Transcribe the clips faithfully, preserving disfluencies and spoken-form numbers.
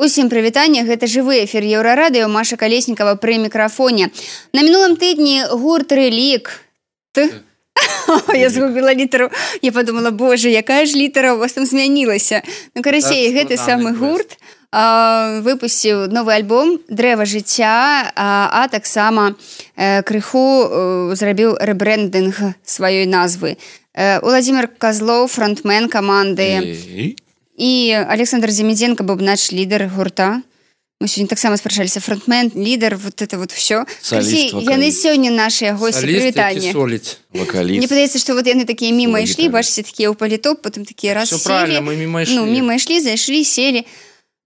Усім прывітанне, гэта жывы эфір Еўрарадыё, Маша Калеснікава пры мікрафоне. На мінулым тыдні гурт «Релік». Ты? Я згубіла літару. Я подумала, боже, якая ж літара у вас там змянілася. Ну, карацей, гэты самы гурт а, выпусціў новы альбом «Дрэва жыцця», а, а таксама э, крыху э, зрабіў рэбрэндынг сваёй назвы. Э, Уладзімир Козлов, фронтмен каманды. І Александр Земедзенко, бубнач, лідар гурта. Мы сёння таксама спрачаліся. Фронтмен, лідар, вот это вот всё. Соліст, вокаліст. Яны сёння нашыя госці. Прывітанне. Соліст, вокаліст. Мне падаецца, што вот яны такія міма ішлі, бачыце, такія ў палітоп, потым такія раз Всё сели. правильно, мы міма ішлі. Ну, міма ішлі, зайшлі, сели.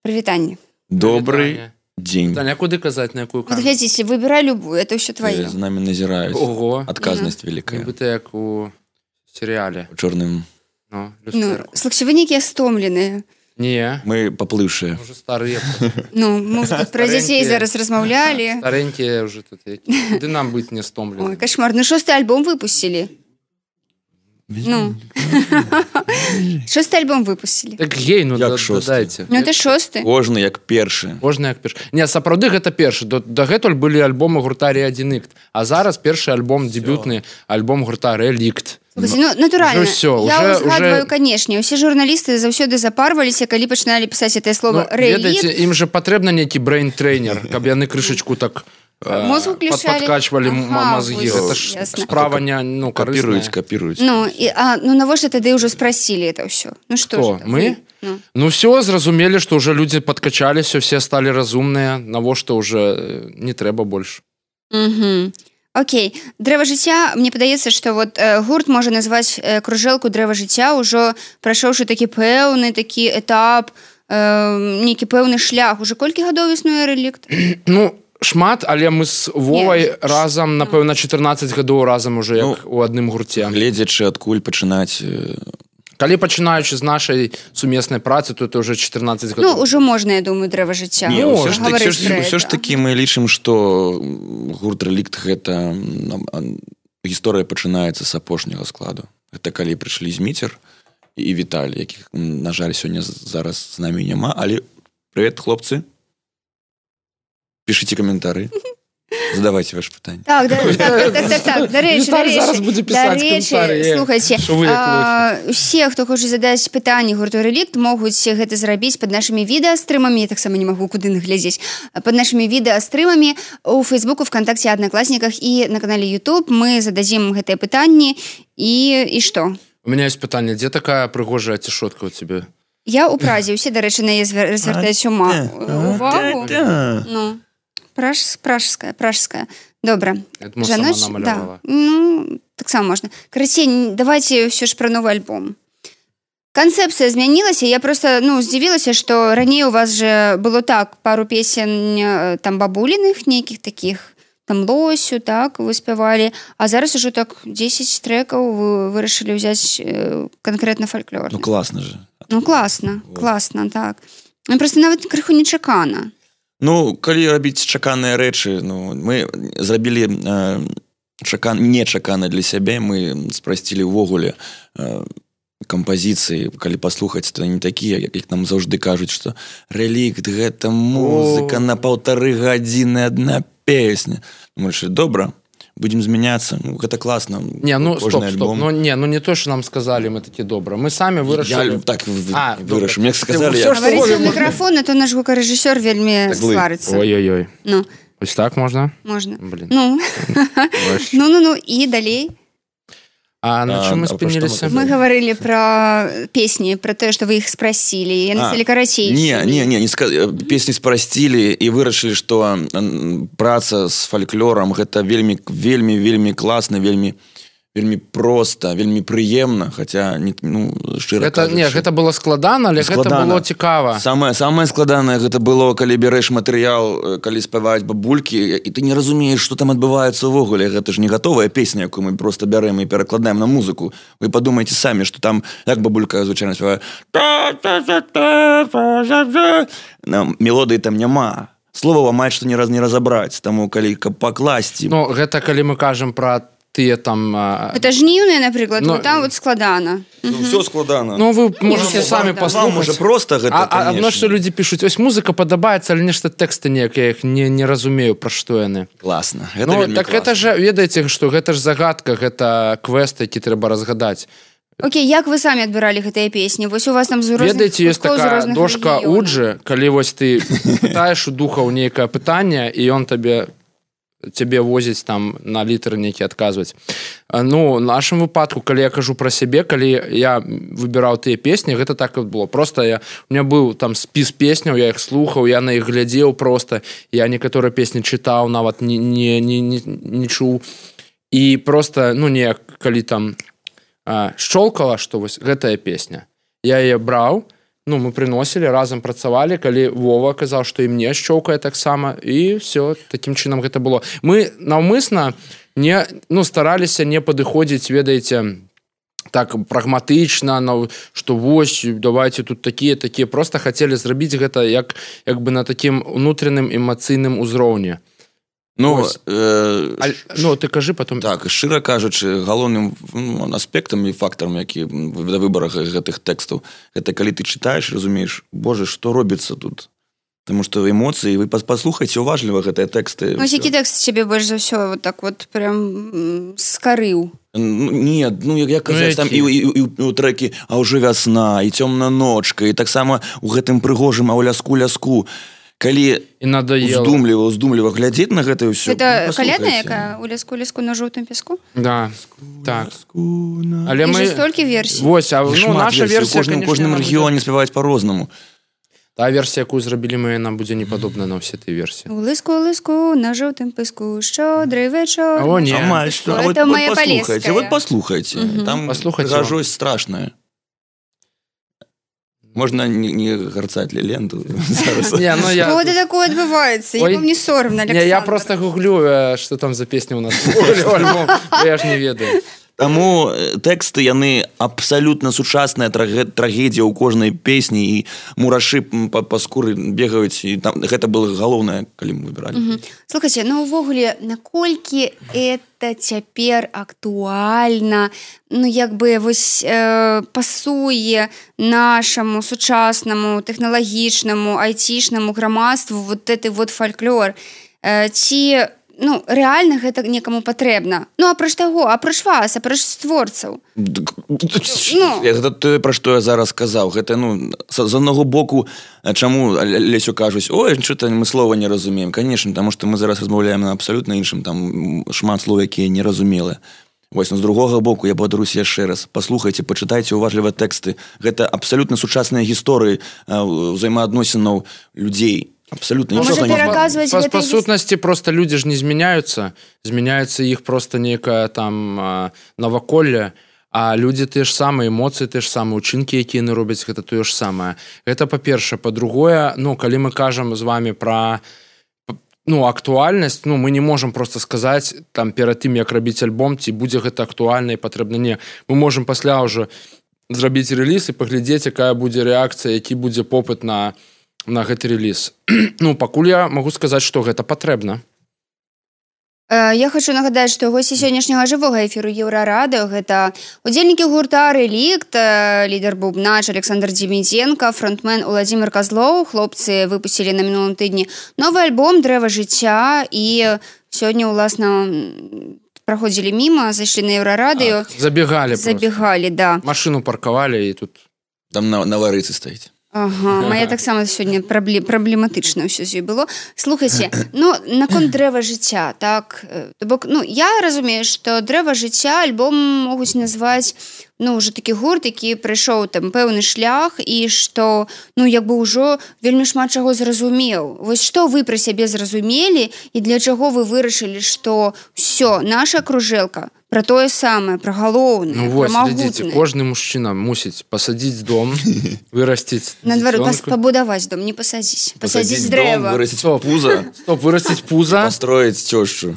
Прывітанне. Добрый день. Таня, куды казаць, на якую Вот камеру? глядзіце, выбірай любую, это ўсё твоё. За нами назирают. Ого. Отказность великая. Нібыта як у серіале. Чорным. Ну, Ну, люстэрку. слухайте, вы некія стомленыя. Не, Мы поплывшие. уже старыя. Ну, мы уже тут про дзяцей Старенькія. зараз размаўлялі. Старенькія уже тут. які. Куды нам быць не Ой, стомлены? кошмар. Ну, шосты альбом выпустили. Ну. Шосты альбом выпустили. Так гей, ну Як да- шосты? дадайце. Ну, это шосты. Кожны як першы. Можна як першы. Не, сапраўды гэта першы. До- Дагэтуль былі альбомы гурта «Реадиныкт». А зараз першы альбом, дебютны альбом гурта «Релікт». Слухайте, ну, натуральна. Уже всё, Я уже- узгадваю, уже- канешне. Усе журналісты заўсёды запарваліся, калі пачыналі пісаць гэтае слово Ну, «релік». ведаеце, ім же патрэбна нейкі брейн-трейнер, каб яны крышачку так э, Мозг уключалі. подкачвалі м- Ага, мозги. вось, Гэта ж ясна. справа не, ну, Копирують, карысная. копирують. Ну, і, а, ну навошта тады ўжо спрасілі это ўсё? Ну што Хто? ж это? Мы? Вы? Ну. Ну все, зразумелі, што ўжо людзі падкачаліся, все сталі разумныя, навошта ўжо э, не трэба больш. Угу. Окей. Дрэва жыцця, мне падаецца, што вот э, гурт можа назваць э, кружэлку дрэва жыцця, ўжо прайшоўшы такі пэўны такі этап, э, нейкі пэўны шлях. Уже колькі гадоў існуе «Релікт»? Ну, шмат, але мы з Вовай Не, разам, напэўна, чатырнаццаць гадоў разам уже як Ну, у адным гурце. Гледзячы адкуль пачынаць. э, Калі пачынаючы з нашай сумеснай працы, то это уже чатырнаццаць Ну, гадоў. ўжо можна, я думаю, дрэва жыцця. Не, Ну, ўсё ж таки, гаварыць ўсё ж, пра ўсё ж гэта. таки мы лічым, што гурт «Релікт» гэта м, а, гісторыя пачынаецца з апошняга складу. Гэта калі прыйшлі Зміцер і Віталій, якіх, м, на жаль, сёння з- зараз з намі няма, але прывет, хлопцы. Пішыце каментары. Задавайте ваши пытанні. Так, да, так, так, так, так, так. Дарэчы, Віталь дарэчы. зараз будзе пісаць каментары, е. Слухайце, Што вы як а, усе, хто хоча задаць пытанні гурту «Релікт», могуць гэта зрабіць пад нашымі відэастрымамі. Я таксама не магу куды наглядзець. Пад нашымі відэастрымамі у Фейсбуку, ВКонтакте, Аднакласніках і на канале YouTube. Мы зададзім гэтыя пытанні. І, і што? У меня есть пытанне, дзе такая прыгожая цішотка у цябе? Я ў Празе. Усе, дарэчы, на яе звер- звяртаюць ума. Увагу. Ну, праж, пражская, пражская. Добра. Я думаю, сама намалявала. Да. Ну, таксама можна. Карацей, давайте ўсё ж пра новы альбом. Канцэпцыя змянілася. Я просто, ну, здзівілася, што раней у вас же было так, пару песень э, там бабуліных нейкіх такіх, там Лосю, так, вы спявалі, а зараз ужо так дзесяць трэкаў вы вырашылі ўзяць э, канкрэтна фальклор. Ну класна же. Ну, класна, класна, так. Ну, просто нават крыху нечакана. Ну, калі рабіць чаканыя рэчы, ну, мы зрабілі э, чакан... нечакана для сябе, мы спрасцілі ўвогуле э, кампазіцыі, калі паслухаць, то не такія, як, як нам заўжды кажуць, што «Релікт» — гэта музыка на паўтары гадзіны адна песня. Мы решили, добра, будем змяняцца, ну, гэта класна. Не, ну стоп, стоп, альбом. ну не, ну не то, что нам сказали, мы такі добра. Мы самі вырашылі. Я так А, вырашыў. добра. Мне сказали, Ты я... ўсё, што Гаварыце ў можна. мікрафон, а то наш гукарэжысёр вельмі Так злы. сварыцца. Ой-ой-ой. Ну, Ось так можна? можна. Блин. Ну, Ваш. ну, ну, ну, і далей. А на А, чым мы а пра што мы спыніліся? Мы гаварылі пра песні, пра тое, што вы іх спрасілі. Яны А, сталі карацейшымі. Не, не, не, не ска... песні спрасцілі і вырашылі, што м, праца з фальклорам гэта вельмі, вельмі, вельмі класна, вельмі, вельмі проста, вельмі прыемна, хаця, не, ну, шчыра Гэта, кажучы. не, гэта было складана, але гэта Складана. было цікава. Самае, самае складанае гэта было, калі бярэш матэрыял, калі спяваюць бабулькі, і ты не разумееш, што там адбываецца ўвогуле. Гэта ж не гатовая песня, якую мы просто бярем і перакладаем на музыку. Вы падумайце самі, што там, як бабулька звычайна спявае, мелодыі там няма. Слова амаль што ні раз не разабраць, таму калі каб пакласці. Ну, гэта калі мы кажам пра тыя там... Это жніўныя, напрыклад, Ну, вот там вот складана. Ну, все складана. Ну, вы можете Ну, самі да. паслухаць. Вам уже просто гэта, А, а конечно. адно, што людзі пішуць, ось музыка падабаецца, але нешта тэксты неяк, я іх не, не разумею, пра што яны. Класна. Гэта Ну, вельмі так класна. гэта ж, ведаеце, што гэта ж загадка, гэта квест, які трэба разгадаць. Окей, як вы самі адбіралі гэтыя песні? Вось у вас там з розных Ведаеце, ёсць куткоў, з такая розных дошка рэгіёнаў. Уджы, калі вось ты пытаеш у духаў нейкае пытанне, і ён табе цябе возіць там на літары нейкі адказваць. Ну, в нашым выпадку, калі я кажу пра сябе, калі я выбіраў тыя песні, гэта так і было. Просто я, у меня быў там спіс песняў, я іх слухаў, я на іх глядзеў просто, я некаторыя песні чытаў, нават не, не, не, не, не чуў. І просто, ну, не, калі там а, шчолкала, што вось гэтая песня, я яе браў, ну, мы приносілі, разам працавалі, калі Вова казаў, што і мне шчоўкае таксама, і все, такім чынам гэта было. Мы наўмысна не, ну, стараліся не падыходзіць, ведаеце, так прагматычна, што вось, давайте тут такія, такія, просто хацелі зрабіць гэта як, як бы на такім унутраным эмацыйным узроўні. Ну, э, А, ну, ты кажы потом. так, шчыра кажучы, галоўным ну, аспектам і фактарам, які да выбарах гэтых тэкстаў, гэта калі ты чытаеш, разумееш, боже, што робіцца тут? Таму што эмоцыі, вы паслухайце уважліва гэтыя тэксты. Вось які тэкст цябе больш за ўсё вот так вот прям скарыў? Ну, не, ну, як казаць, Ну, там і, і, і, і у трэкі «А ўжо вясна», і «Цёмна ночка», і таксама у гэтым прыгожым «А ў ляску-ляску». Калі І надоело. уздумліва, уздумліва глядзець на гэта ўсё. Гэта ну, калядная, паслухайце. якая у ляску-ляску на жоўтым пяску? Да, так. На... Але І мы... ж столькі версій. Вось, а ну, Шмат наша версій. версія, У кожным, конечно, кожным яна рэгіёне спяваюць по-рознаму. Та версія, якую зрабілі мы, яна будзе не падобна на ўсе тыя версіі. У лыску-лыску на жоўтым піску, шчодрый вечор. О, не. Амаль што. А вот, Это вот моя паслухайце, палеская. вот паслухайце. Мгм. Там Паслухайце. прыгажосць страшная. Можна не, не гарцаць ленту зараз. Не, ну я... Что это такое адбываецца? Ой. Я вам не соромно, Александр. Не, я просто гуглю, э, что там за песня у нас. Альбом. Я ж не ведаю. Таму э, тэксты яны абсалютна сучасная трагэ- трагедія ў кожнай песні і мурашы м, па, па скуры бегаюць і там гэта было галоўнае, калі мы выбіралі. Мгм. Слухайте, ну увогуле, наколькі это цяпер актуальна, ну як бы вось э, пасуе нашаму сучаснаму тэхналагічнаму айцішнаму грамадству вот гэты вот фальклор, э, ці ну рэальна гэта некаму патрэбна? Ну апроч таго, апроч вас, апроч створцаў. Ну. Гэта тое, пра што я зараз сказаў. Гэта, ну, з аднаго боку, чаму Лесю кажуць, ой, що-то мы слова не разумеем. Конечно, таму што мы зараз размаўляем на абсалютна іншым, там шмат слоў, якія неразумелыя. Вось, ну, з другога боку, я падаруся яшчэ раз. Паслухайце, пачытайце уважліва тэксты. Гэта абсалютна сучасныя гісторыі ўзаемаадносінаў людзей. Абсолютно Можа нічога не пераказваць Па, гэта па гіс- сутнасці просто людзі ж не змяняюцца, змяняецца іх просто некае там а, наваколле, а людзі тыя ж самыя, эмоцыі тыя ж самыя, учынкі, якія яны робяць, гэта тое ж самае. Гэта па-першае, па-другое, ну калі мы кажам з вами пра ну актуальнасць, ну мы не можам просто сказаць там перад тым як рабіць альбом, ці будзе гэта актуальна і патрэбна, не. Мы можам пасля ўжо зрабіць рэліз і паглядзець, якая будзе рэакцыя, які будзе попыт на на гэты рэліз. Ну, пакуль я магу сказаць, што гэта патрэбна. Э, Я хочу нагадаць, што госці сённяшняга жывога эфіру Еўрарадыё гэта удзельнікі гурта «Рэлікт», э, лідар бубнач Александр Демідзенко, фронтмен Уладзімир Казлоў. Хлопцы выпусцілі на мінулым тыдні новы альбом «Дрэва жыцця» і сёння, уласна, праходзілі міма, зайшлі на Еўрарадыё. Забегалі просто. Забегалі, да. Машыну паркавалі і тут... Там на, на ларыцы стаіць. Ага, моя таксама сёння прабле- праблематычна ўсё з ёй было. Слухайце, ну, наконт «Дрэва жыцця», так, э, то бок, ну, я разумею, што «Дрэва жыцця» альбом могуць назваць, ну, ўжо такі гурт, які прайшоў там пэўны шлях і што, ну, як бы ўжо вельмі шмат чаго зразумеў. Вось што вы пра сябе зразумелі і для чаго вы вырашылі, што ўсё, наша кружэлка пра тое самае, пра галоўнае, Ну пра вось, глядзіце, магутнае. кожны мужчына мусіць пасадзіць дом, вырасціць Наадварот, пас- дзіцёнка. пабудаваць дом, не пасадзіць. Пасадзіць дом, дрэва. вырасціць Стоп. пуза, Стоп, вырасціць пуза. пастроіць цёшчу.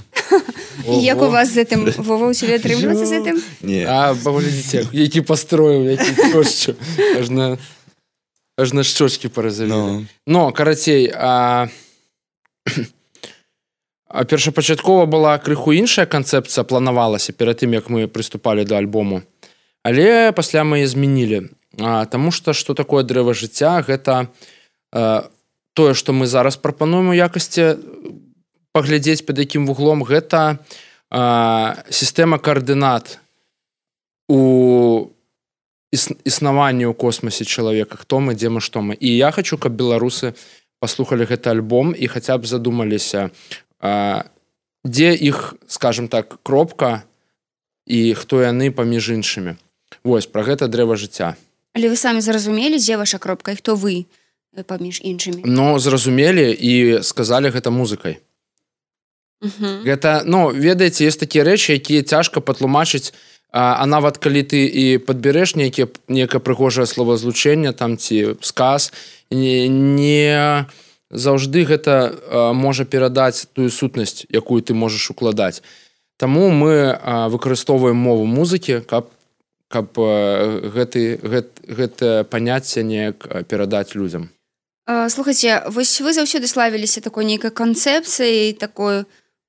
І як у Ого. вас з гэтым, Вова, у цябе атрымліваецца з гэтым? Не. А, паглядзіце, які пастроіў, які чошчу. Аж на, аж на шчочкі паразавілі. Ну. Но, карацей, а... першапачаткова была крыху іншая канцэпцыя, планавалася перад тым, як мы прыступалі да альбому. Але пасля мы яе змянілі. Таму што што такое дрэва жыцця, гэта тое, што мы зараз прапануем у якасці паглядзець пад якім вуглом, гэта сістэма каардынат у існаванні ў космосе чалавека, хто мы, дзе мы, што мы. І я хочу, каб беларусы паслухалі гэты альбом і хаця б задумаліся, дзе іх, скажем так, кропка і хто яны паміж іншымі. Вось, пра гэта дрэва жыцця. Але вы самі зразумелі, дзе ваша кропка і хто вы паміж іншымі? Ну, зразумелі і сказалі гэта музыкай. Uh-huh. Гэта, ну, ведаеце, ёсць такія рэчы, якія цяжка патлумачыць, а, а нават калі ты і падбярэш нейкае нейкае прыгожае словазлучэнне там ці сказ, не, не заўжды гэта а, можа перадаць тую сутнасць, якую ты можаш укладаць. Таму мы а, выкарыстоўваем мову музыкі, каб, каб а, гэты, гэт, гэта паняцце неяк перадаць людзям. А, слухайце, вось вы заўсёды славіліся такой нейкай канцэпцыяй, такой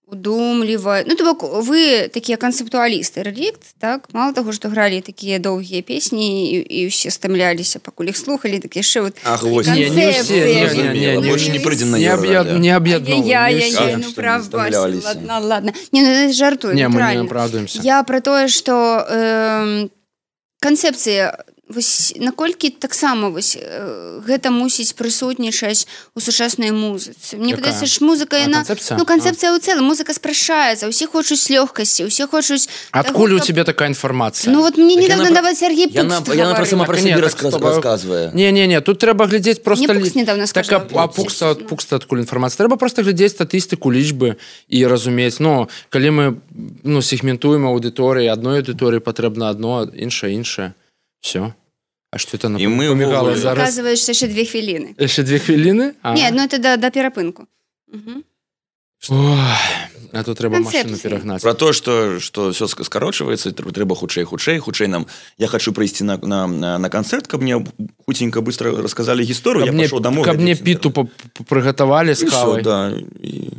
удумлівай. Ну, то бок, вы такія канцэптуалісты, рэлікт, так? Мало таго, што гралі такія доўгія песні і, і ўсе стамляліся, пакуль іх слухалі, так яшчэ вот Ах, вось, не, не ўсе, не, не, не, не, больше не прыйдзем на не, Еўра, не аб'ядноўваем. Я, я, А, я, ну, што, правда, стамляліся. ладно, ладно. Не, ну, жартую, Не, мы не натуральна. апраўдуемся. Я пра тое, што э, канцэпцыя, вось, наколькі таксама вось, э, гэта мусіць прысутнічаць у сучаснай музыцы. Мне Якая? падаецца, ж музыка, А, яна... канцэпцыя? Ну, канцэпцыя ў цэлым, музыка спрашаецца, усе хочуць лёгкасці, усе хочуць... Адкуль таго, у каб- тебе такая інфармацыя? Ну, вот мне Так недавно яна пра- нават Сергей Пукс Яна, яна про сама про Так себе ні, так расказ, з тобою- рассказывае. Не-не-не, тут трэба глядзець просто... Мне Пукс недавно Так, сказал. а, а Пукса, Пукса адкуль інфармацыя? Трэба просто глядзець статыстыку, лічбы і разумець. Ну, калі мы ну, сегментуем аўдыторыі, адной аўдыторыі патрэбна адно, іншае, іншае. Все. А што это І мы напамігала ўвогуле- зараз? Оказывается, что еще две хвилины. Яшчэ две хвіліны? А. Нет, ну это до, до перапынку. Угу. Ой, а тут трэба Канцэпцыі. машыну перагнаць. Про то, что, что все скорочивается, трэба хутчэй, хутчэй, хутчэй нам. Я хочу прийти на, на, на, на концерт, каб мне хутенько быстро рассказали историю, Каб я мне, пошел домой. каб мне глядзець, піту па- па- прыгатавалі з И всё, кавай. да. И...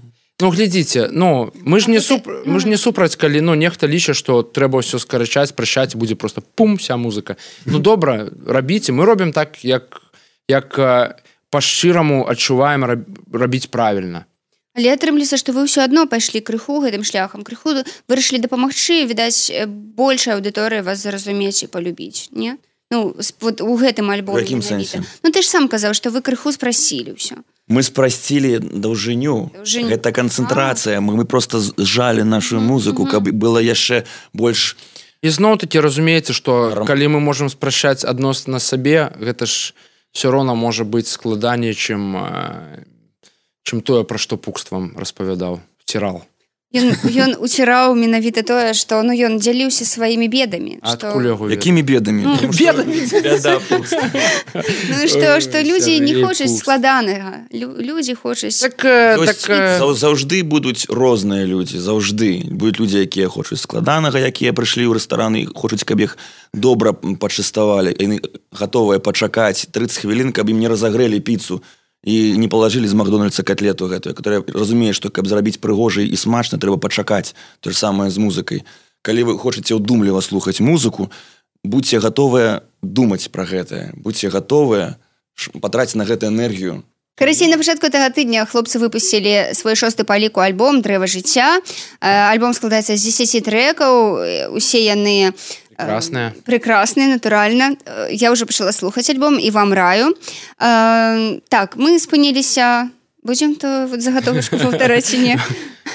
Ну, глядзіце, ну, мы ж А не, то суп... ты- мы ж не супраць, калі ну, нехта ліча, што трэба ўсё скарачаць, прыщаць, будзе просто пум, вся музыка. Ну, добра, рабіце. Мы робім так, як, як э, па-шчыраму адчуваем раб... рабіць правільна. Але атрымліся, што вы ўсё адно пайшлі крыху гэтым шляхам. Крыху вырашылі дапамагчы, відаць, большая аўдыторыя вас зразумець і палюбіць, не? Ну, с- вот у гэтым альбоме. У якім менавіта. сэнсе? Ну, ты ж сам казаў, што вы крыху спрасілі ўсё. Мы спростили даўжыню. Даўжыню. Это концентрация. Мы, мы просто сжали нашу музыку, каб было яшчэ больш... І зноў-такі разумееце, што Рам- калі мы можам спрашчаць адносна сабе, гэта ж все роўна можа быць складаней, чым, э, чым тое, пра што Пукст вам распавядаў, вцірал. Ён, ён уціраў менавіта тое, што ну, ён дзяліўся сваімі бедамі. А што... адкуль яго ведаць? Якімі бедамі? Ну, Потому что- бедамі? Бяда, Пукст. Ну, што, што людзі не Сергей хочуць Пукс. складанага. Лю, людзі хочуць... Так, э, То так есть, э, заў- заўжды будуць розныя людзі, заўжды. Будуць людзі, якія хочуць складанага, якія прыйшлі ў рэстаран і хочуць, каб іх добра пачаставалі. Яны гатовыя пачакаць тридцать хвілін, каб ім не разагрэлі піцу і не палажылі з Макдональдса котлету гэтую, которая разумее, што каб зрабіць прыгожа і смачна, трэба пачакаць. То ж самае з музыкай. Калі вы хочаце ўдумліва слухаць музыку, будьце гатовыя думаць пра гэтае. Будьце гатовыя ш- патраціць на гэта энергію. Карацей, на пачатку гэтага тыдня хлопцы выпусцілі свой шосты па ліку альбом «Дрэва жыцця». Э, Альбом складаецца з дзесяці трэкаў, э, усе яны... э, Прекрасныя. Прекрасныя, натуральна. Э, Я ўжо пачала слухаць альбом і вам раю. Э, Так, мы спыніліся... Будзем то вот загатовачку паўтараць ці не?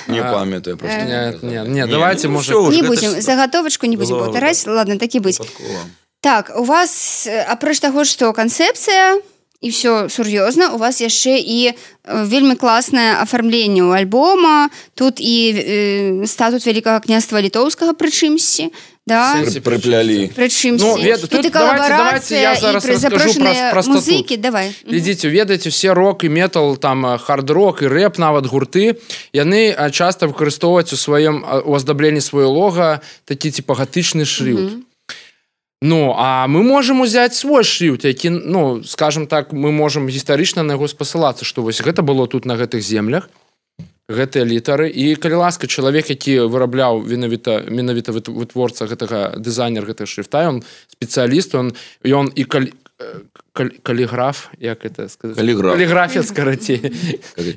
Не А, памятаю просто. Не, не, не, давайте, ну может- всё уже, Не гэта будзем, ж загатовачку не будзем было паўтараць. Ладно, так і быць. выпадкова. Так, у вас, э, апроч таго, што канцэпцыя і ўсё сур'ёзна, у вас яшчэ і э, вельмі класнае афармленне ў альбома, тут і э, статут Вялікага княства Літоўскага прычымсьці, да? Сэнсі Пры- Прыплялі. Прычымсьці. Ну, вед- тут тут і давайте- давайте я калабарацыя, зараз і пры- раскажу запрошаныя пра- пра статут. музыкі, давай. Мгм. Глядзіце, ведаеце, все рок і метал, там э, хард-рок і рэп, нават гурты, яны а, часта выкарыстоўваюць у сваім а, у аздабленні сваё лога такі типа гатычны шрифт. Ну, а мы можам узяць свой шрифт, які, ну, скажем так, мы можам гістарычна на яго спасылацца, што вось гэта было тут на гэтых землях, гэтыя літары і калі ласка чалавек які вырабляў менавіта менавіта вытворца гэтага дызайнер гэтага шрифта ён спецыяліст он ён і калі каліграф як это сказаць каліграфія скарацей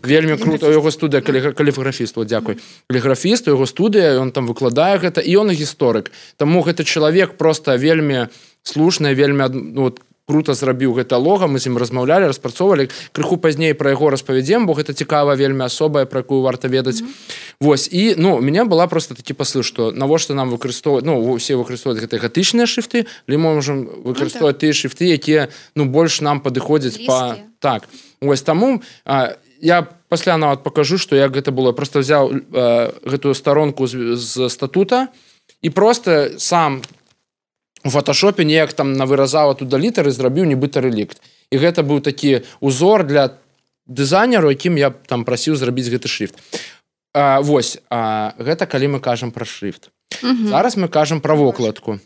вельмі круто яго студыя каліграфіст дзякуй каліграфіст яго студыя ён там выкладае гэта і ён гісторык таму гэты чалавек просто вельмі слушны вельмі ну, круто зрабіў гэта лога, мы з ім размаўлялі, распрацоўвалі. Крыху пазней пра яго распавядзем, бо гэта цікава, вельмі асобая, пра якую варта ведаць. Mm-hmm. Вось, і, ну, у мяне была просто такі паслы, што навошта нам выкарыстоўваць, ну, усе выкарыстоўваць гэтыя гатычныя шрифты, але мы можам выкарыстоўваць тыя шрифты, якія, ну, больш нам падыходзяць па... Так. Вось, таму а, я пасля нават пакажу, што як гэта было. Просто взяў а, гэтую старонку з, з статута і просто сам у фотошопе неяк там навыразаў оттуда літары, зрабіў нібыта рэлікт. І гэта быў такі узор для дызайнеру, якім я там прасіў зрабіць гэты шрифт. А, вось, а, гэта калі мы кажам пра шрифт. Угу. Зараз мы кажам пра вокладку.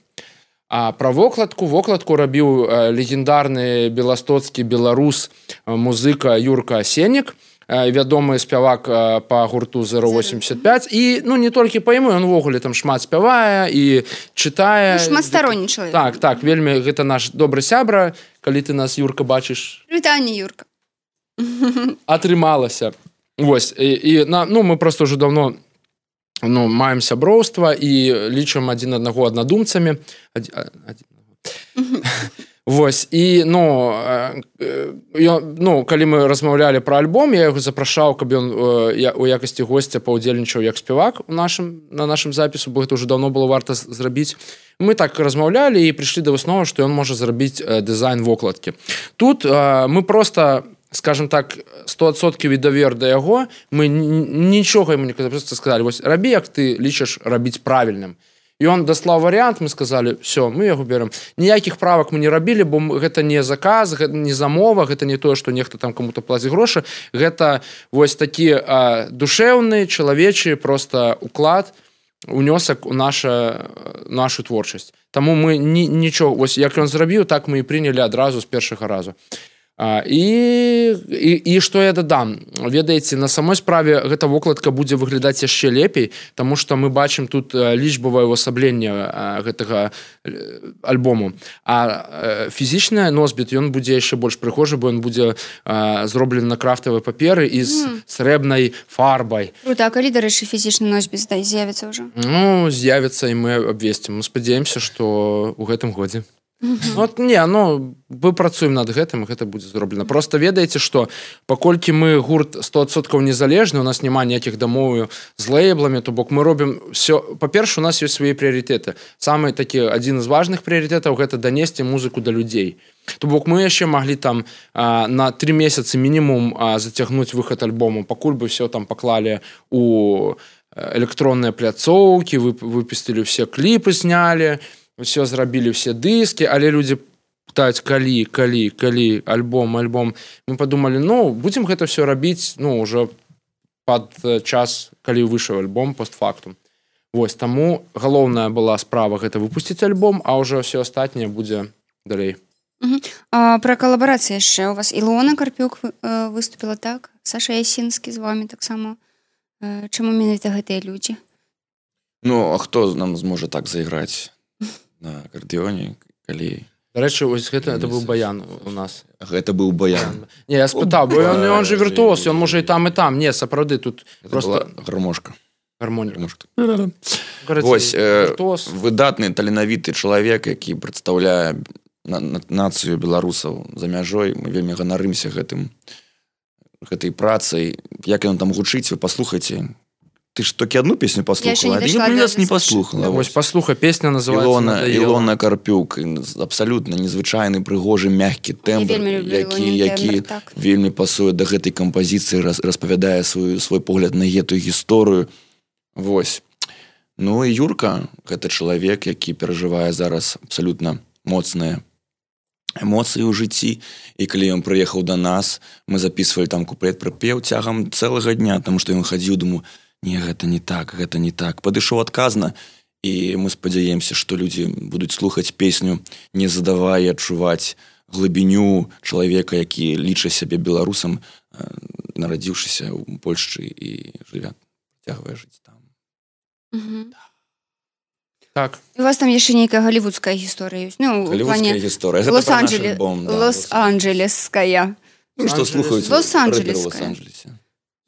А пра вокладку, вокладку рабіў а, легендарны беластоцкі беларус а, музыка Юрка Асеннік, вядомы спявак па гурту зеро восемьдесят пять і ну не толькі па яму, ён увогуле там шмат спявае і чытае. Ну, шматсторонні чалавек. Так, так, вельмі гэта наш добры сябра, калі ты нас, Юрка, бачыш. Вітанне, Юрка. Атрымалася. Вось, і, і на, ну мы просто ўжо давно ну, маем сяброўства і лічым адзін аднаго аднадумцамі. Адзін, адзін. Вось, і, ну, я, ну, калі мы размаўлялі пра альбом, я яго запрашаў, каб ён я, у якасці госця паўдзельнічаў як спевак у нашым, на нашым запісу, бо гэта ўжо даўно было варта зрабіць. Мы так размаўлялі і прыйшлі да высновы, што ён можа зрабіць дызайн вокладкі. Тут мы просто, скажем так, сто адсоткаў давер да яго, мы нічога яму не казалі, просто сказалі, вось, рабі, як ты лічыш рабіць правільным. І он даслаў варыянт, мы сказалі, все, мы яго берем. Ніякіх правак мы не рабілі, бо гэта не заказ, гэта не замова, гэта не тое, што нехта там каму-то плаціць грошы. Гэта вось такі а, душэўны, чалавечы просто уклад, унёсак у наша, нашу творчасць. Таму мы ні, нічого, вось як ён зрабіў, так мы і прынялі адразу з першага разу. А, і, і, і што я дадам? Ведаеце, на самой справе гэта вокладка будзе выглядаць яшчэ лепей, таму што мы бачым тут лічбавае ўвасабленне гэтага альбому. А фізічны носьбіт, ён будзе яшчэ больш прыгожы, бо ён будзе а, зроблены на крафтавай паперы і з mm. срэбнай фарбай. Круто, а калі, дарэчы, фізічны носьбіт з'явіцца ўжо? Ну, з'явіцца і мы абвесцім. Мы спадзяемся, што ў гэтым годзе. Mm-hmm. Вот, не, ну, мы працуем над гэтым, і гэта будзе зроблена. Просто ведаеце, што паколькі мы гурт сто адсоткаў незалежны, у нас няма ніякіх дамоў з лейбламі, то бок мы робім все. Па-перше, у нас ёсць свае прыярытэты. Самы такі адзін з важных прыярытэтаў гэта данесці музыку да людзей. То бок мы яшчэ маглі там а, на тры месяцы мінімум а, зацягнуць выхад альбому, пакуль бы все там паклалі у электронныя пляцоўкі, выпустілі ўсе кліпы, знялі, все зрабілі ўсе дыскі, але людзі пытаюць, калі, калі, калі, альбом, альбом. Мы падумалі, ну, будзем гэта все рабіць, ну, ўжо пад час, калі выйшаў альбом, постфактум. Вось, таму галоўная была справа гэта выпусціць альбом, а ўжо все астатняе будзе далей. Угу. А, пра калабарацыі яшчэ. У вас Ілона Карпюк выступіла, так? Саша Ясінскі з вами таксама. Чаму менавіта гэтыя людзі? Ну, а хто нам зможа так зайграць на акардэоне, калі... Дарэчы, ось гэта, гэта быў баян у нас. Гэта быў баян. Не, я спытаў, бо ён, ён же віртуоз, ён можа і там, і там. Не, сапраўды, тут гэта просто... гармошка. Гармоника. Вось, э, выдатны, таленавіты чалавек, які прадстаўляе на, на, нацыю беларусаў за мяжой. Мы вельмі ганарымся гэтым, гэтай працай. Як ён там гучыць, вы паслухайце. Ты ж толькі одну песню паслухала, а я нас не паслухала. Вось паслухай, песня называецца Ілона, Ілона Карпюк. Абсалютна незвычайны, прыгожы, мяккі тэмбр, які, які так. Вельмі пасуе да гэтай кампазіцыі, распавядае свой, свой погляд на гэтую гісторыю. Вось. Ну і Юрка, гэта чалавек, які перажывае зараз абсалютна моцныя эмоцыі ў жыцці. І калі ён прыехаў да нас, мы записывалі там куплет-прыпеў цягам цэлага дня, таму што ён хадзіў, думаю, не, гэта не так, гэта не так. Падышоў адказна, і мы спадзяемся, што людзі будуць слухаць песню, не задавая адчуваць глыбіню чалавека, які лічыць сябе беларусам нарадзіўшыся ў Польшчы і жыве, цягвае жыць там. Угу. Так. У вас там яшчэ нейкая галівудская гісторыя ёсць? Ну, Галівудская гісторыя. Гэта пра наш альбом. Лос-Анджелеская. Ну, што слухаюць Лос-Анджелеская. рэперы Лос-Анджелесе.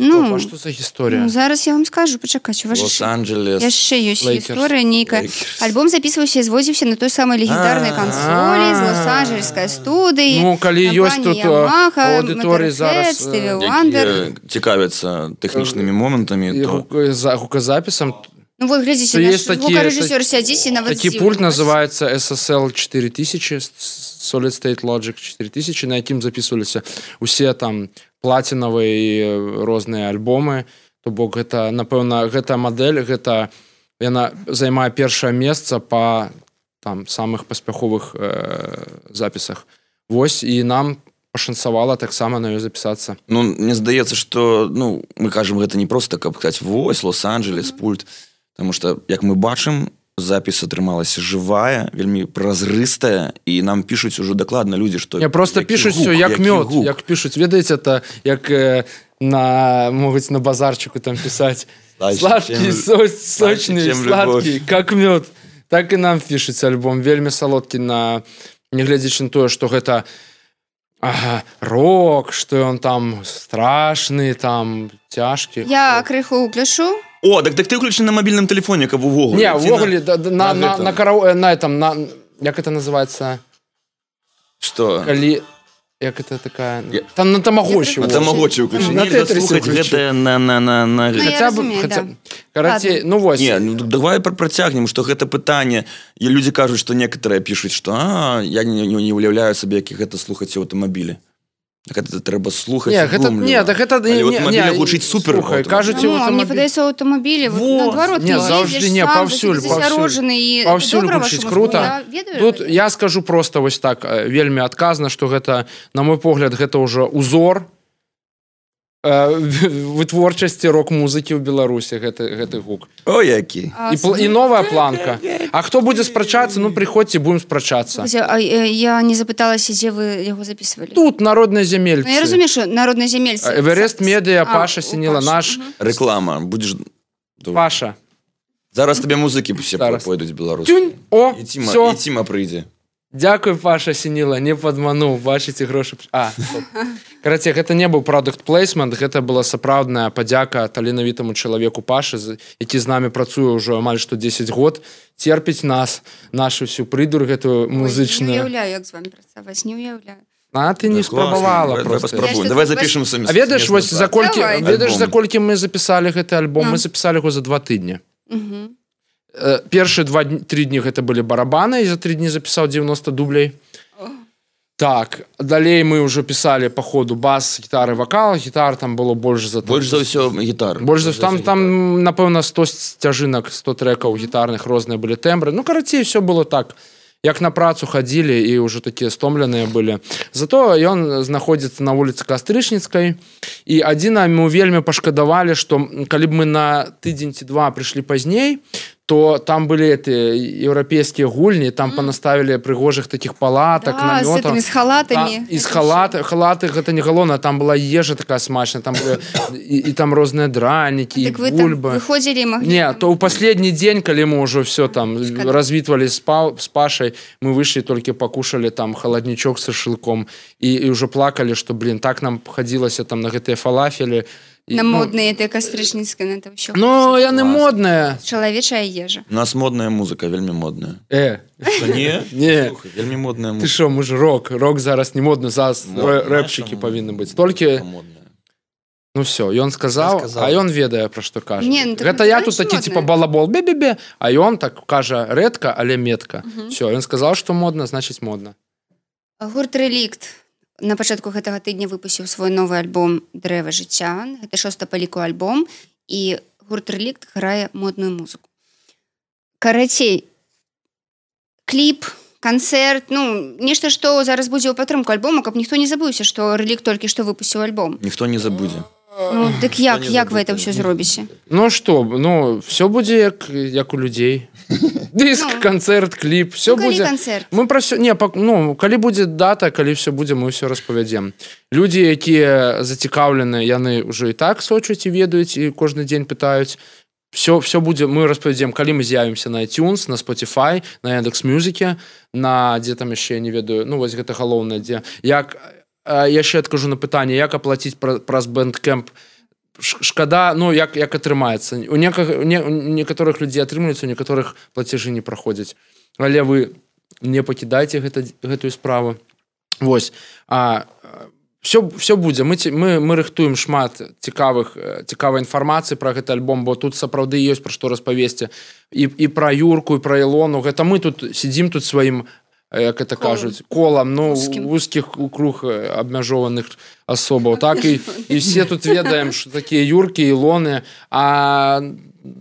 Ну, а што за гісторыя? Ну, зараз я вам скажу, пачакаць, у вас Лос-Анджелес. яшчэ ёсць Лейкерс. гісторыя нейкая. Альбом записываўся і звозіўся на той самай легендарнай кансолі з Лос-Анджелескай студыі. Ну, калі ёсць тут аўдыторыі зараз, Стыві Вандер. Якія цікавяцца тэхнічнымі момантамі, то... Гуказапісам. Ну, вот, глядзіце, наш гукарэжысёр сядзіць і нават такі пульт называецца эс эс эл чатыры тысячы, Solid State Logic чатыры тысячы, на якім запісваліся усе там плацінавыя і розныя альбомы. То бок гэта, напэўна, гэта мадэль, гэта яна займае першае месца па там самых паспяховых э, запісах. Вось, і нам пашанцавала таксама на ёй запісацца. Ну, мне здаецца, што, ну, мы кажам, гэта не проста, каб сказаць, вось, Лос-Анджелес, пульт. Таму што, як мы бачым, запіс атрымалася жывая, вельмі празрыстая, і нам пішуць ужо дакладна людзі, што... Не, проста пішуць усё, як мёд, як пішуць. Ведаеце, это як э, на, могуць на базарчыку там пісаць. Сладкий, сочный, сладкий, как мёд. Так і нам пішуць альбом. Вельмі салодкі на... Не глядзячы на тое, што гэта ага, рок, што ён там страшны, там цяжкі. Я крыху гляшу. О, так, так ты ўключаны на мабільным тэлефоне, каб увогуле. Не, увогуле, на, на, на, на, карау... на этом, на, як это называется? Что? Калі... Як это такая... Я... Там на тамагочі. На тамагочі ўключаны. На тетрисе ўключаны. Гэта на... на, на, на... Ну, хотя я бы, разумею, хотя... да. Карацей, ну вось. Не, ну давай працягнем, што гэта пытанне. І людзі кажуць, што некаторыя пішуць, што а, я не, не, не уяўляю сабе, як гэта слухаць у аўтамабілі. Так это трэба слухаць. Не, гэта, не, так гэта... Але ў аўтамабілях гучыць супер. Слухай, кажуць, ну, аўтамабіль... мне падаецца, ў аўтамабілі, вот, наадварот, не, заўжды не, паўсюль, паўсюль. Паўсюль гучыць крута. Тут я скажу проста вось так, вельмі адказна, што гэта, на мой погляд, гэта ўжо узор вытворчасці рок-музыкі ў Беларусі, гэты, гэты гук. О, які. І, і новая планка. А хто будзе спрачацца, ну, прыходзьце, будем спрачацца. А я не запыталася, дзе вы яго записывалі? Тут народныя земельцы. Ну, я разумею, што народныя земельцы. Эверест Медіа, Паша Сініла, наш... Реклама. Будеш... Паша. Зараз тебе музыкі все пойдуць беларускі. Тюнь! О, і Ціма, всё. І Ціма прыйдзе. Дякую, Паша Сініла, не падмануў, бачыце грошы. А, карацей, гэта не быў продукт плейсмент, гэта была сапраўдная падзяка таленавітаму чалавеку Пашы, які з намі працуе ўжо амаль што дзесяць год, церпіць нас, нашу всю прыдур гэтую музычную. Не уяўляю, як з вами працаваць, не уяўляю. А ты не спрабавала просто. Давай запішем самі. А ведаеш, вось за колькі, ведаеш, за колькі мы запісалі гэты альбом? Мы запісалі яго за два тыдні. Угу. Першыя два-тры дні гэта былі барабаны, і за тры дні запісаў дзевяноста дублей. Oh. Так, далей мы ўжо пісалі па ходу бас, гітары, вакал, гітар там было больш за... Больш за ўсё гітар. Больш за ўсё, там, там, напэўна, сто сцяжынак, сто трэкаў гітарных, розныя былі тэмбры. Ну, карацей, ўсё было так. Як на працу хадзілі і ўжо такія стомленыя былі. Зато ён знаходзіцца на вуліцы Кастрычніцкай, і адзіна мы вельмі пашкадавалі, што калі б мы на тыдзень ці два прыйшлі пазней, то там былі эти еўрапейскія гульні, там mm. панаставілі прыгожых такіх палатак, да, намётаў. З халатамі. Та, і з халаты, халаты гэта не галоўна, там была ежа такая смачная, там былі, і, і там розныя дранікі, так і бульбы. Выходзілі і маглі... Не, то ў паследні дзень, калі мы ўжо все там развітвалі з, па, з Пашай, мы выйшлі толькі пакушалі там халаднічок з шашлыком і, і ўжо плакалі, што, блин, так нам хадзілася там на гэтыя фалафелі. На і, модныя, ну, кастрычніцкая, на это ўсё. Ну, яны модныя. Чалавечая ежа. У нас модная музыка, вельмі модная. Э. Что, не? Не. Слухай, вельмі модная музыка. Ты што, мы ж рок. Рок зараз не модны, зараз рэпчыкі павінны быць. Толькі... Ну все, ён сказаў, сказаў, а ён ведае, пра што кажа. Не, ну, гэта я тут такі, типа, балабол, бе-бе-бе, а ён так кажа рэдка, але метка. Угу. Все, ён сказаў, што модна, значыць модна. Гурт «Рэлікт» на пачатку гэтага тыдня выпусціў свой новы альбом «Дрэва жыцця». Гэта шоста па ліку альбом, і гурт «Рэлікт» грае модную музыку. Карацей, кліп, канцэрт, ну, нешта, што зараз будзе ў падтрымку альбома, каб ніхто не забыўся, што «Рэлікт» толькі што выпусціў альбом. Ніхто не забудзе. Ну, дык як, як вы это ўсё зробіце? Ну, што, ну, всё будзе як, як у людзей. дыск, Ну. канцэрт, кліп, все Ну, калі будзе. канцэрт? Мы пра всё, не, пак- ну, калі будзе дата, калі все будзе, мы ўсё распавядзем. Людзі, якія зацікаўлены, яны ўжо і так сочуць і ведаюць, і кожны дзень пытаюць. Все, все будзе, мы распавядзем, калі мы з'явімся на iTunes, на Spotify, на Яндекс.Мюзіке, на дзе там яшчэ, не ведаю, ну, вось гэта галоўнае, дзе. Як, э, яшчэ адкажу на пытанне, як аплаціць пра, праз Bandcamp. Шкада, ну, як, як атрымаецца. У, неках, не, у некаторых людзей атрымліваюцца, у некаторых плацежы не праходзяць. Але вы не пакідайце гэта, гэтую справу. Вось. А, все, все будзе. Мы, мы, мы рыхтуем шмат цікавых, цікавай інфармацыі пра гэты альбом, бо тут сапраўды ёсць пра што распавесці. І, і пра Юрку, і пра Ілону. Гэта мы тут сидзім тут сваім, як это кажуць, колам, ну, вузкіх круг абмяжованых асобаў, так, і, і все тут ведаем, што такія Юркі, Ілоны, а,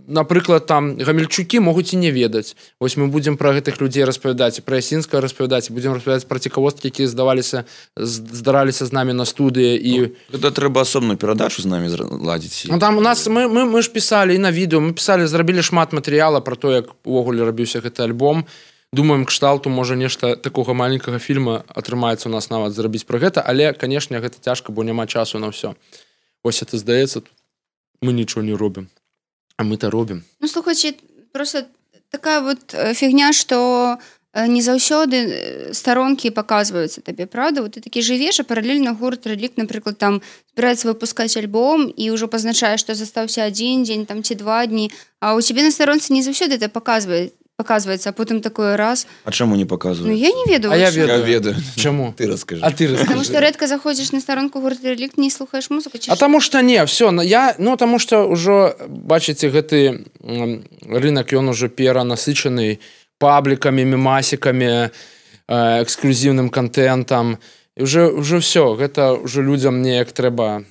напрыклад, там, Гамельчукі могуць і не ведаць. Вось мы будзем пра гэтых людзей распавядаць, і пра Ясінскага распавядаць, і будзем распавядаць пра цікавосткі, якія здаваліся, здараліся з намі на студыі. І... Ну, гэта трэба асобную перадачу з намі ладзіць. Ну, там у нас, мы, мы, мы ж пісалі і на відэо, мы пісалі, зрабілі шмат матэрыяла пра то, як увогуле рабіўся гэты альбом. Думаем, кшталту, можа, нешта такога маленькага фільма атрымаецца у нас нават зрабіць пра гэта, але, канешне, гэта цяжка, бо няма часу на ўсё. Вось это здаецца, мы нічого не робім. А мы-то робім. Ну, слухайце, просто такая вот фігня, што не заўсёды старонкі паказваюцца табе, правда? Вот ты такі жывеш, а паралельна гурт Рэлік, напрыклад, там збіраецца выпускаць альбом і ўжо пазначае, што застаўся адзін дзень там ці два дні, а ў цябе на старонцы не заўсёды это паказвае. Показывается, а потом такой раз. А чему не показывают? Ну, я не ведаю. А я ведаю. Я ведаю. Чему? Ты расскажи. А ты расскажи. Потому что редко заходишь на сторонку гурта Рэлік, не слухаешь музыку. А тому что не, все, я, ну, тому что уже, бачите, гэты рынок, он уже перенасыщенный пабликами, мемасиками, эксклюзивным контентом. И уже, уже все, это уже людям неяк трэба...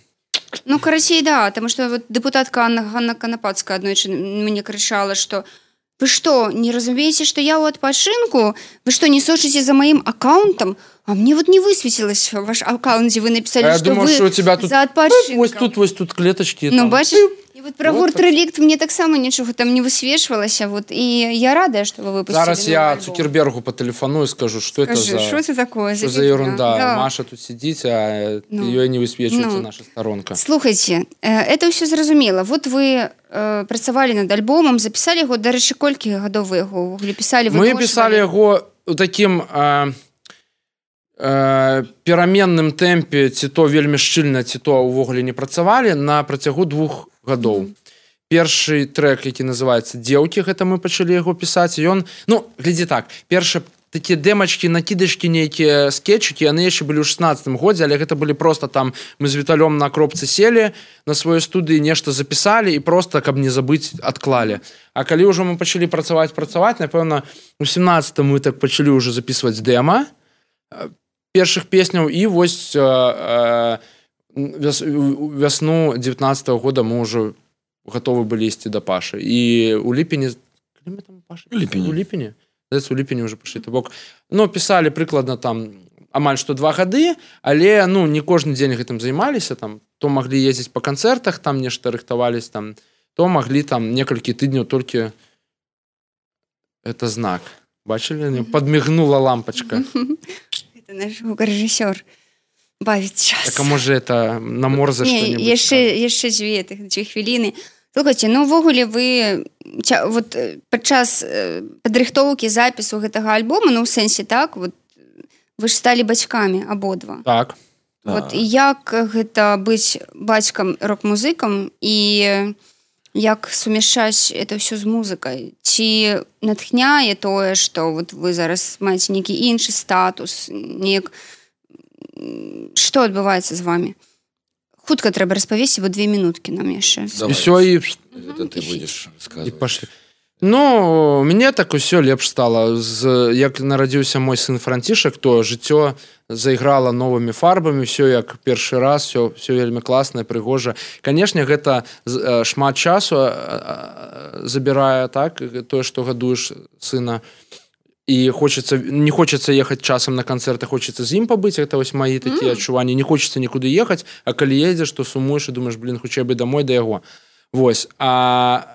Ну, карацей, да, потому что вот депутатка Анна, Ганна Канапацкая аднойчы мне кричала, что вы что, не разумеете, что я у отпочинку? Вы что, не сочите за моим аккаунтом? А мне вот не высветилось ваш аккаунт, где вы написали, а что думаю, вы что у тебя тут, за отпочинком. Вот тут, вот тут клеточки. Ну, там. бачишь, и вот про вот гурт так. Рэлік мне так само ничего там не высвечивалось, вот, и я рада, что вы выпустили. Зараз я Цукербергу по телефону и скажу, что Скажи, это за... что это такое? Что за ерунда? Да. Маша тут сидит, а ну, ее не высвечивается ну. наша сторонка. Слухайте, это все зразумела. Вот вы э, працавалі над альбомом, записали его, дарэчы, колькі гадоў вы яго писали? Мы писали его таким... Э, пераменным тэмпе, ці то вельмі шчыльна, ці то ўвогуле не працавалі на працягу двух гадоў. Mm. Першы трэк, які называецца «Дзеўкі», гэта мы пачалі яго пісаць, і ён, ну, глядзі так, першы такія дэмачкі, накідачкі, нейкія скетчыкі, яны яшчэ былі ў шестнадцатым годзе, але гэта былі проста там, мы з Віталём на кропцы селі, на сваёй студыі нешта запісалі і проста, каб не забыць, адклалі. А калі ўжо мы пачалі працаваць, працаваць, напэўна, у семнадцатым мы так пачалі ўжо запісваць дэма, першых песняў, і вось э, э, вясну девятнадцатого года мы ўжо гатовы былі ісці да Пашы. І у ліпені... Калі мы там Паша? У ліпені. У ліпені? У ліпені ўжо пашлі. То бок, ну, пісалі прыкладна там амаль што два гады, але, ну, не кожны дзень гэтым займаліся, там, то маглі ездзіць па канцэртах, там нешта рыхтавались, там, то маглі там некалькі тыдняў толькі... Это знак. Бачылі? Падмігнула лампачка. Это наш гукарэжысёр бавіць час. Так, а можа, это наморза што-небудзь? Не, яшчэ, яшчэ дзве тых дзве хвіліны. Слухайце, ну, увогуле вы вот падчас падрыхтоўкі запісу гэтага альбома, ну, ў сэнсе, так, вот, вы ж сталі бацькамі абодва. Так. Вот, і як гэта быць бацькам рок-музыкам і як сумяшчаць это ўсё з музыкай? Ці натхняе тое, што вот вы зараз маеце нейкі іншы статус, неяк... Што адбываецца з вами? Хутка трэба распавесці, бо две минуткі нам яшчэ. І ўсё, і... Это ты будешь рассказывать. І пашлі. Ну, мне так усё лепш стала. З, як нарадзіўся мой сын Францішак, то жыццё заіграла новымі фарбамі, ўсё як першы раз, ўсё, ўсё вельмі класнае, прыгожа. Канешне, гэта шмат часу забірае, так, тое, што гадуеш сына. І хочется, не хочется ехаць часам на канцэрты, хочется з ім пабыць, гэта вось мои такія mm. адчуванні. Не хочется нікуды ехаць, а калі едзеш, то сумуеш і думаеш, блин, хутчэй бы домой да яго. Вось. А...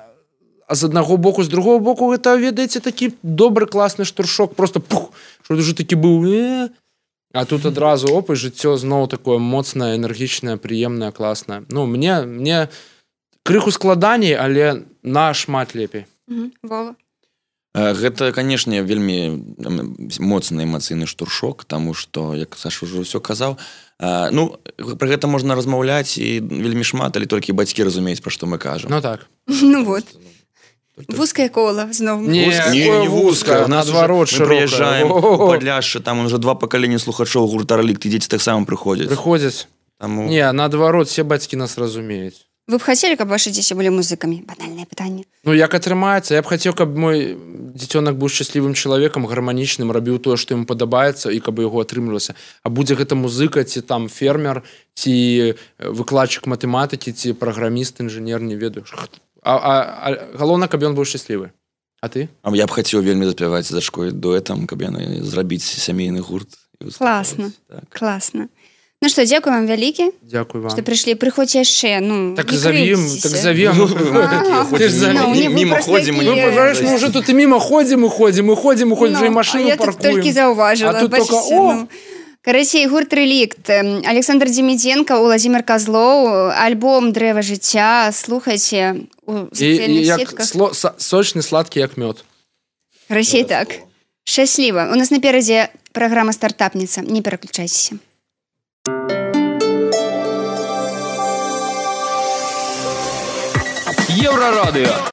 з аднаго боку, з другого боку, гэта, ведаеце, такі добры, класны штуршок, просто пух, што ўжо такі быў, э, а тут адразу, оп, і жыццё зноў такое моцнае, энергічнае, прыемнае, класнае. Ну, мне, мне крыху складаней, але нашмат лепей. Вова? Гэта, канешне, вельмі моцны эмацыйны штуршок, таму што, як Саша ўжо ўсё казаў, ну, пра гэта можна размаўляць і вельмі шмат, але толькі бацькі разумеюць, пра што мы кажам. Ну так. Ну вот. Вузкае кола, зноў. Не, не, не вузкае, наадварот, шырокае. Мы прыязджаем у Падляшша, там уже два пакалення слухачоў гурта «Рэлікт», і дзеці таксама прыходзяць. Прыходзяць. Таму... Не, наадварот, все бацькі нас разумеюць. Вы б хацелі, каб ваши дзеці былі музыкамі? Банальнае пытанне. Ну, як атрымаецца? Я б хацеў, каб мой дзіцёнак быў шчаслівым чалавекам, гарманічным, рабіў тое, што ему падабаецца, і каб яго атрымлівалася. А будзе гэта музыка, ці там фермер, ці выкладчык матэматыкі, ці праграміст, інжынер, не ведаю. А, а, а галоўна, каб ён быў шчаслівы. А ты? А я б хацеў вельмі заспяваць з дачкой дуэтам, каб яны зрабіць сямейны гурт. Класна, так. Класна. Ну што, дзякую вам вялікі. Дзякуй вам. Што прыйшлі, прыходзьце яшчэ, ну, так завім, так завім. Міма ходзім. Мы уже тут і міма ходзім, і ходзім, і ходзім, і ходзім, і машыну паркуем. А я тут толькі заўважыла. А тут только, о! Карацей, гурт «Рэлікт», Александр Демідзенка, Уладзімир Казлоў, альбом «Дрэва жыцця», слухайце у сацыяльных сетках. Сочны, сладкі, як мёд. Карацей, так. Шчасліва. У нас наперадзе праграма «Стартапніца». Не пераключайцеся. Еврорадио.